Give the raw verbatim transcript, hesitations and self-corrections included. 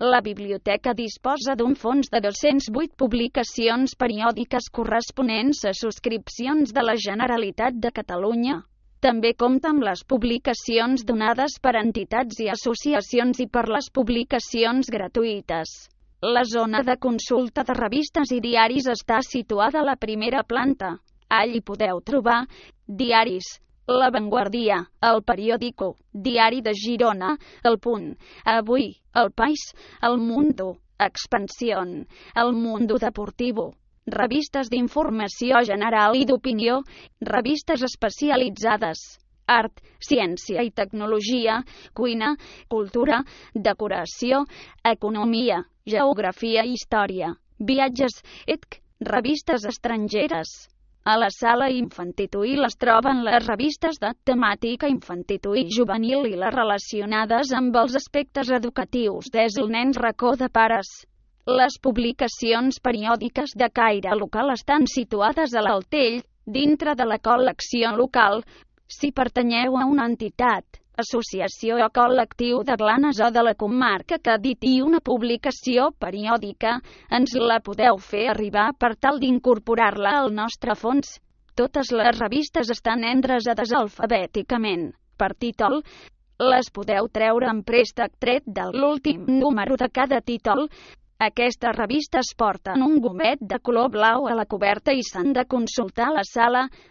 La biblioteca disposa d'un fons de dos-cents vuit publicacions periòdiques corresponents a subscripcions de la Generalitat de Catalunya. També compta amb les publicacions donades per entitats i associacions i per les publicacions gratuïtes. La zona de consulta de revistes i diaris està situada a la primera planta. Allí podeu trobar diaris, La Vanguardia, El Periódico, Diari de Girona, El Punt, Avui, El País, El Mundo, Expansión, El Mundo Deportivo, revistes d'informació general i d'opinió, revistes especialitzades, art, ciència i tecnologia, cuina, cultura, decoració, economia, geografia i història, viatges, etcètera, revistes estrangeres. A la sala infantil es troben les revistes de temàtica infantil i juvenil i les relacionades amb els aspectes educatius des del Nens Racó de Pares. Les publicacions periòdiques de caire local estan situades a l'Altell, dintre de la col·lecció local. Si pertanyeu a una entitat, associació o col·lectiu de Blanes o de la comarca que editi una publicació periòdica, ens la podeu fer arribar per tal d'incorporar-la al nostre fons. Totes les revistes estan endreçades alfabèticament, per títol. Les podeu treure en préstec tret de l'últim número de cada títol. Aquestes revistes porten un gomet de color blau a la coberta i s'han de consultar a la sala.